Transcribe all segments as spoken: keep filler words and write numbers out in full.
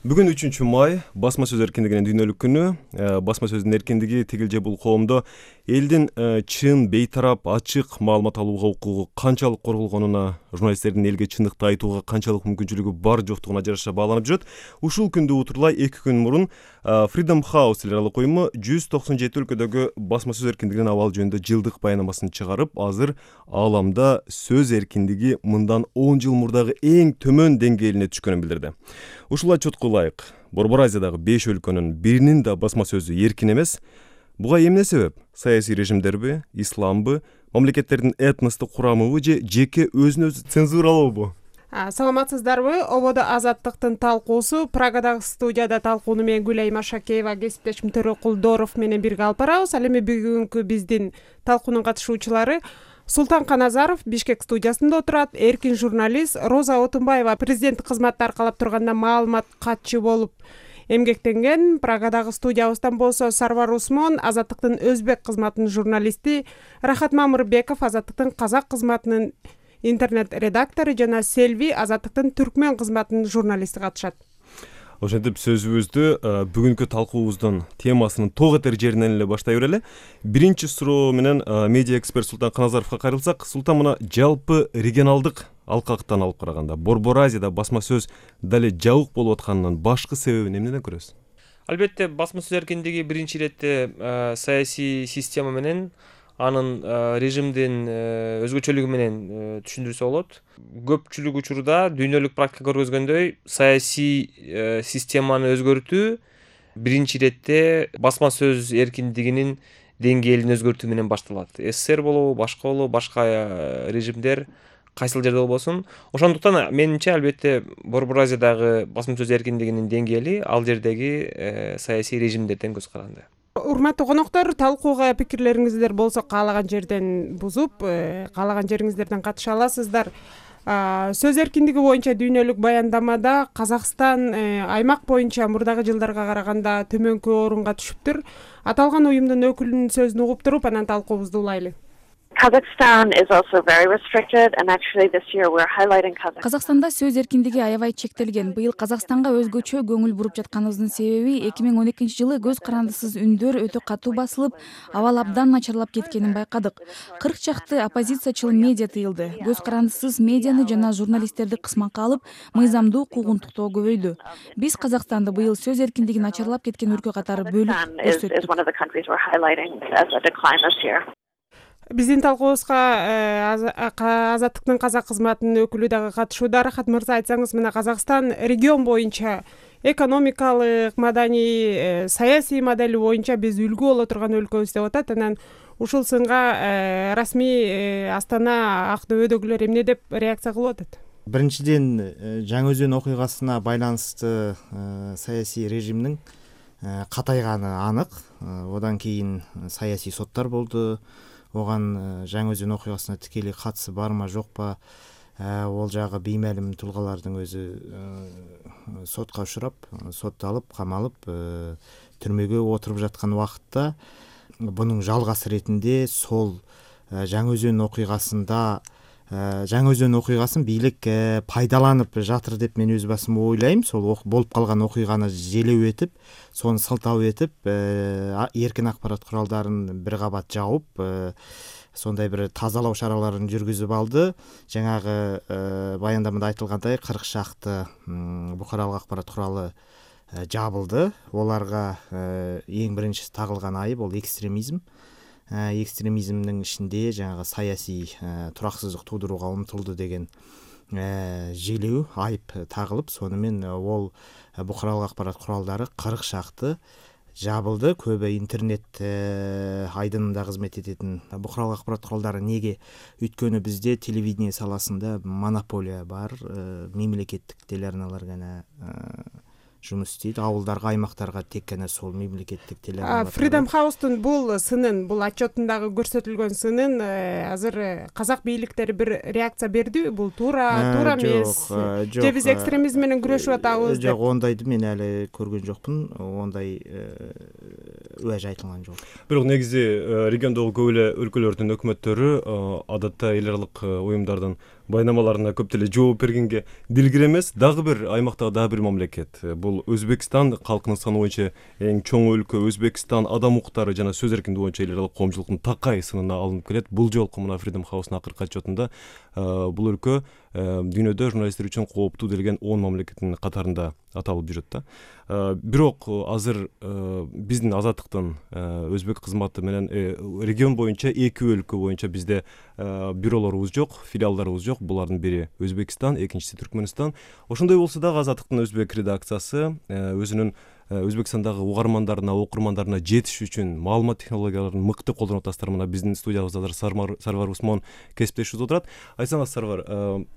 Бүгүн үчүнчү май басма сөз эркиндигинин дүйнөлүк күнү. Басма сөздүн эркиндиги тигил же бул коомдо элдин чын, бейтарап, ачык маалымат алууга укугу канчалык корголгонуна, журналисттердин элге чындыкты айтууга канчалык мүмкүнчүлүгү бар жоктугуна жараша бааланып жүрөт. Ушул күндү утурлай эки күн мурун Freedom House эл аралык уюму жүз токсон жети өлкөдөгү басма сөз эркиндигинин абалы жөнүндө жылдык баянамасын чыгарып, азыр ааламда сөз эркиндиги мындан он жыл мурдагы эң төмөн деңгээлине түшкөнүн билдирди. Ушул отчетко ылайык Борбор Азиядагы беш өлкөнүн биринин да басма сөзү эркин эмес. Буга эмне себеп? Саясий режимдерби, исламбы, мамлекеттердин этностук курамыбы же жеке өзүн өзү цензуралообу? Саламатсыздарбы? Ободо азаттыктын талкуусу Прагадагы студияда талкууну мен Гүлайым Ашакеева, кесиптешим Төрө Кулдоров менен бирге алып барабыз. Ал эми бүгүнкү биздин талкуунун катышуучулары Султан Каназаров Бишкек студиясында отурат, эркин журналист Роза Отунбаева президенттик кызматты аркалап турганда маалымат катчы болуп эмгектенген. Прагадагы студиябыздан болсо Сарвар Усмон Азаттыктын өзбек кызматынын журналисти, Рахат Мамырбеков Азаттыктын казак кызматынын интернет редактору жана Селви Азаттыктын түркмөн кызматынын журналисти катышат. Ошентип сөзүбүздү бүгүнкү талкуубуздун темасынын ток этер жеринен эле баштай берели. Биринчи суроо менен медиа эксперт Султан Каназаровго кайрылсак, Султан, мына жалпы регионалдык алкактан алып караганда Борбор Азияда басма сөз дале жабык болуп атканынын башкы себебин эмнеден көрөсүз? Албетте, басма сөз эркиндиги биринчи иретте саясий система менен, анын режимдин өзгөчөлүгү менен түшүндүрсө болот. Көпчүлүк учурда дүйнөлүк практика көргөзгөндөй, саясий системаны өзгөртүү биринчи иретте басма сөз эркиндигинин деңгээлин өзгөртүү менен башталат. СССР болобу, башка болобу, башка режимдер кайсыл жерде болбосун. Ошондуктан менимче, албетте, Борбор Азиядагы басма сөз эркиндигинин деңгээли ал жердеги саясий режимдерден көз каранды. Урматтуу коноктор, талкууга пикирлериңиздер болсо каалаган жерден бузуп, каалаган жериңиздерден катыша аласыздар. Сөз эркиндиги боюнча дүйнөлүк баяндамада Казакстан аймак боюнча мурдагы жылдарга караганда төмөнкү орунга түшүптүр. Аталган уюмдун өкүлүнүн сөзүн угуп туруп, анан талкуубузду улайлы. Kazakhstan is also very restricted, and actually this year we're highlighting Kazakhstan. Казакстанда сөз эркиндиги аябай чектелген. Быйыл Казакстанга өзгөчө көңүл буруп жатканыбыздын себеби эки миң он экинчи жылы көз карандысыз үндөр өтө катуу басылып, абал абдан начарлап кеткенин байкадык. кырк чакты оппозициячыл медиа тыйылды. Көз карандысыз медианы жана журналисттерди кысмакка алып, мыйзамдуу куугунтуктоо көбөйдү. Биз Казакстанды быйыл сөз эркиндиги начарлап кеткен өлкө катары бөлүп көрсөттүк. Биздин талкуубузга Азаттыктын казак кызматынын өкүлү дагы катышууда. Рахат мырза, айтсаңыз, мына Казакстан регион боюнча экономикалык, маданий, саясий модели боюнча биз үлгү боло турган өлкөбүз деп атат. Анан ушул сынга расмий Астана Актөбөдөгүлөр эмне деп реакция кылып атат? Биринчиден, Жаңы Өзөн окуйгасына байланыштуу саясий режимдин катайганы анык. Одан кийин саясий соттор болду. Оган Жаңы Өзөн окуйгасына тикелей катысы барма жокпа, ол жагы беймәлим тулгалардын өзү сотко учурап, сотталып, камалып, түрмөгө отуруп жаткан убакытта бунун жалгасы ретинде сол Жаңы Өзөн окуйгасында Жаңы Өзөн окуйгасын бийлик пайдаланып жатыр деп мен өз басым ойлойм. Сол болуп калган окуйганы желеу этип, сону сылтау этип, эркин акпарат куралдарын бир кабат жаап, сондай бир тазалоо чараларын жүргүзүп алды. Жаңагы баяндамада айтылгандай кырк шакты букаралык акпарат куралы жабылды. Оларга эң биринчи тагылган айып бул экстремизм. Экстремизмдин ичинде жаңагы саясий тураксыздык туудурууга умтулду деген желеу, айып тагылып, сонымен ол букаралык акпарат куралдары кырк шакты жабылды. Көбү интернет айдынында кызмет этетін букаралык акпарат куралдары неге? Өйткөнү бизде телевидение саласында монополия бар, мемлекеттик телеарналар гана жумуш истейт. Ауылдарга, аймактарга тек гана сол мемлекеттик телеарналар. Freedom House'тун бул сынын, бул отчетундагы көрсөтүлгөн сынын азыр казак бийликтери бир реакция берди. Бул туура, туура эмес. Же биз экстремизм менен күрөшүп атабыз деп. Жок, ондайды мен әле көргөн жокмун. Ондай уәж айтылган жок. Бирок негизи региондогу көп эле өлкөлөрдүн өкмөттөрү адатта эл аралык уюмдардын байнамаларына көп деле жооп бергенге дилгир эмес. Дагы бир аймактагы дагы бир мамлекет бул Өзбекстан. Калкынын саны боюнча эң чоң өлкө Өзбекстан адам укуктары жана сөз эркиндиги боюнча эл аралык коомчулуктун такай сынына алынып келет. Бул жолку мына Freedom House'нун акыркы отчетунда бул өлкө дүйнөдө журналисттер үчүн кооптуу делген он мамлекеттин катарында аталып жүрөт да. Бирок азыр биздин Азаттыктын өзбек кызматы менен регион боюнча эки өлкө боюнча бизде бюролорубуз жок, филиалдарыбыз жок. Булардын бири Өзбекстан, экинчиси Түркмөнстан. Ошондой болсо дагы Азаттыктын өзбек редакциясы өзүнүн Өзбекстандагы угармандарына, окурмандарына жетиш үчүн маалымат технологияларын мыкты колдонуп атасыздар. Мына биздин студиябызда Сарвар Усмон кесиптешибиз отурат. Айтсаңыз, Сарвар,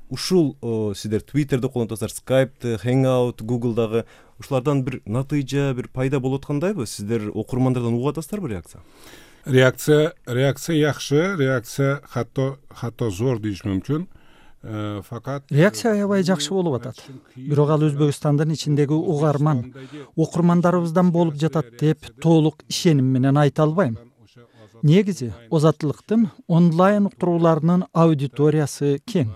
ушул сиздер Twitter'де колдонуп атасыздар, Skype'те, Hangout, Google'дагы ушулардан бир натыйжа, бир пайда болуп аткандайбы? Сиздер окурмандардан угуп атасыздарбы реакция? Реакция, реакция жакшы, реакция хатто хатто зор дейиш мүмкүн. Факат реакция аябай жакшы болуп атат. Бирок ал Өзбекстандын ичиндеги угарман, окурмандарыбыздан болуп жатат деп толук ишеним менен айта албайм. Негизи Озаттылыктын онлайн уктурууларынын аудиториясы кең.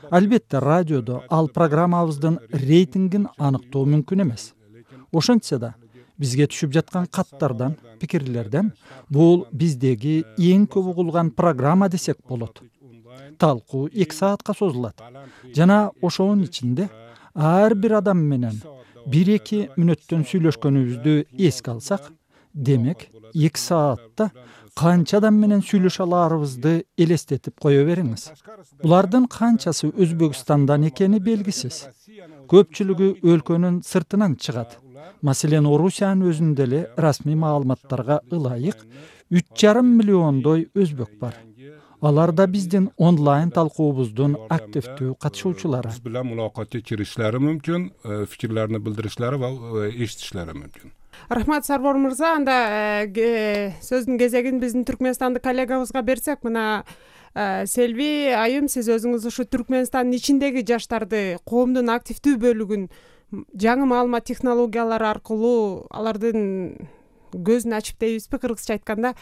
Албетте радиодо ал программабыздын рейтингин аныктоо мүмкүн эмес. Ошентсе да бизге түшүп жаткан каттардан, пикирлерден бул биздеги эң көп угулган программа десек болот. Талкуу эки саатка созулат. Жана ошонун ичинде ар бир адам менен бир-эки мүнөттөн сүйлөшкөнүбүздү эске алсак, демек эки саатта канча адам менен сүйлөшө аларыбызды элестетип кое бериңиз. Булардын канчасы Өзбекстандан экени белгисиз. Көпчүлүгү өлкөнүн сыртынан чыгат. Маселен, Орусиянын өзүндө эле расмий маалыматтарга ылайык үч жарым миллиондой өзбек бар. Алар да биздин онлайн талкуубуздун активдүү катышуучулары. Биз билен мулакатка киришleri мүмкүн, фикирлерин билдиришleri ва эшитишлери мүмкүн. Рахмат, Сарвар мырза. Анда сөздүн кезегин биздин Түркмөнстандык коллегабызга берсек, мына Селви айым, сиз өзүңүз ушу Түркмөнстандын ичиндеги жаштарды, коомдун активдүү бөлүгүн жаңы маалымат технологиялары аркылуу алардын көзүн ачып дейбизби, кыргызча айтканда,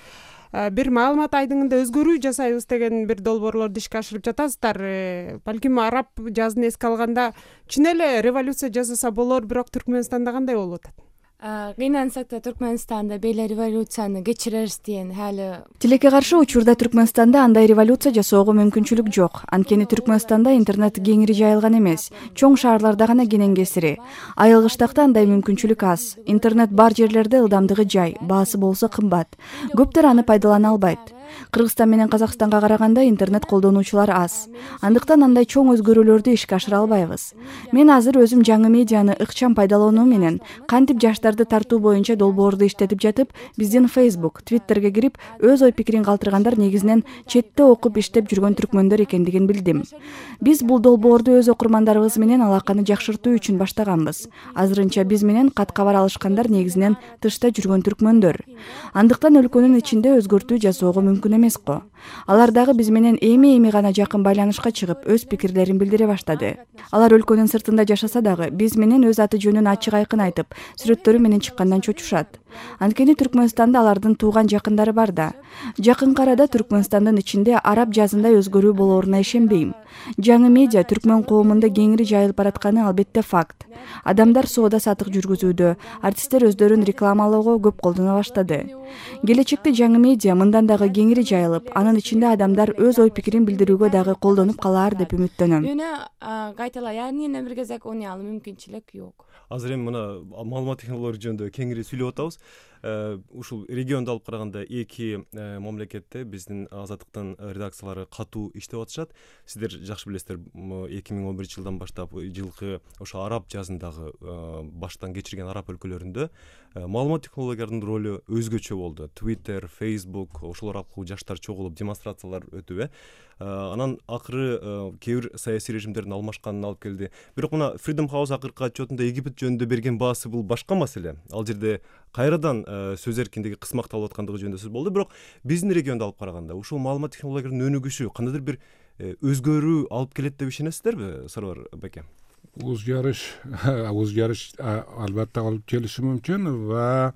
бир маалымат айдыңында өзгөрүү жасайбыз деген бир долбоорлорду ишке ашырып жатасыздар. Балким араб жазын эске алганда чын эле революция жасаса болор, бирок Түркмөнстанда кандай болуп атат? Кыйнансак да Түркмөнстанда беле революцияны кечирербиз деген хали. Тилекке каршы учурда Түркмөнстанда андай революция жасоого мүмкүнчүлүк жок. Анткени Түркмөнстанда интернет кеңири жайылган эмес. Чоң шаарларда гана кенен кесири. Айылгыштакта андай мүмкүнчүлүк аз. Интернет бар жерлерде ылдамдыгы жай, баасы болсо кымбат. Көптөр аны пайдалана албайт. Кыргызстан менен Казакстанга караганда интернет колдонуучулар аз. Андыктан андай чоң өзгөрүүлөрдү ишке ашыра албайбыз. Мен азыр өзүм жаңы медианы ыкчам пайдалануу менен кантип жаштарды тартуу боюнча долбоорду иштетип жатып, биздин Facebook, Twitterге кирип, өз ой пикирин калтыргандар негизинен четте окуп иштеп жүргөн түркмөндөр экендигин билдим. Биз бул долбоорду өз окурмандарыбыз менен алаканы жакшыртуу үчүн баштаганбыз. Азырынча биз менен кат кабар алышкандар негизинен тышта жүргөн түркмөндөр. Андыктан өлкөнүн ичинде өзгөртүү жасоого мүмкүн эмес го. Алар дагы биз менен эми-эми гана жакын байланышка чыгып, өз пикирлерин билдире баштады. Алар өлкөнүн сыртында жашаса дагы биз менен өз аты жөнүн ачык айкын айтып, сүрөттөрү менен чыккандан чочушат. Анткени Түркмөнстанда алардын тууган жакындары бар да. Жакынкы арада Түркмөнстандын ичинде араб жазында өзгөрүү болоруна ишенбейм. Жаңы медиа түркмөн коомунда кеңири жайылып баратканы албетте факт. Адамдар соода сатык жүргүзүүдө, артисттер өздөрүн рекламалоого көп колдоно баштады. Келечекте жаңы медиа мындан дагы кеңири жайылып, анын ичинде адамдар өз ой пикирин билдирүүгө дагы колдонуп калаар деп үмүттөнөм. Мени кайтала, яғни бир кезек уну ал мүмкүнчүлүк жок. Азыр эми мына маалымат технологиялары жөнүндө кеңири сүйлөп атабыз. Ушул регионду алып караганда эки мамлекетте биздин Азаттыктын редакциялары катуу иштеп атышат. Сиздер жакшы билесиздер, эки миң он биринчи жылдан баштап жылкы ошо араб жазындагы баштан кечирген араб өлкөлөрүндө маалымат технологияларынын ролу өзгөчө болду. Twitter, Facebook ошолор аркылуу жаштар чогулуп демонстрациялар өтүп, анан акыры кээ бир саясий режимдердин алмашканына алып келди. Бирок мына Freedom House акыркы отчетунда Египет жөнүндө берген баасы бул башка маселе. Ал жерде кайрадан сөз эркиндиги кысмакталып аткандыгы жөнүндө сөз болду. Бирок биздин регионду алып караганда ушул маалымат технологияларынын өнүгүшү кандайдыр бир өзгөрүү алып келет деп ишенесиздерби, Сарвар байке? Өзгөрүш, өзгөрүш албетте алып келиши мүмкүн ва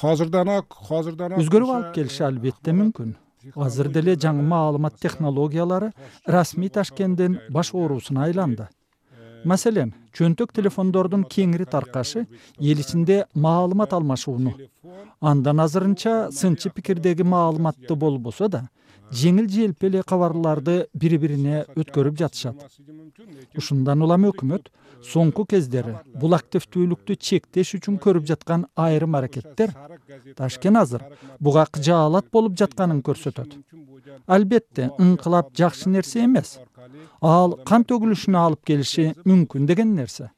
азырдан азырдан өзгөрүү алып келиши албетте мүмкүн. азыр деле жаңы маалымат технологиялары расмий Ташкенттин баш оорусуна айланды. Маселен, чөнтөк телефондордун кеңири таркашы эл ичинде маалымат алмашууну, андан азырынча сынчы пикирдеги маалыматты болбосо да, жеңил желпи кабарларды бири-бирине өткөрүп жатышат. Ушундан улам өкмөт соңку кездери бул активдүүлүктү чектеш үчүн көрүп жаткан айрым аракеттер Ташкент азыр буга кыжаалат болуп жатканын көрсөтөт. Албетте, ыңкылап жакшы нерсе эмес. Ал кан төгүлүшүнө алып келиши мүмкүн деген нерсе.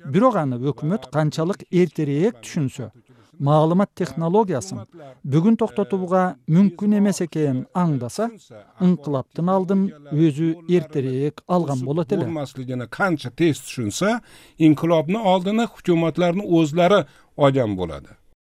Бирок аны өкмөт канчалык эртерээк түшүнсө, маалымат технологиясын бүгүн токтотууга мүмкүн эмес экенин аңдаса, ыңкылаптын алдын өзү эртерээк алган болот эле. Болмаслыгына канча тез түшүнсө, инкилобдун алдына hukumatlarning o'zlari olgan bo'ladi.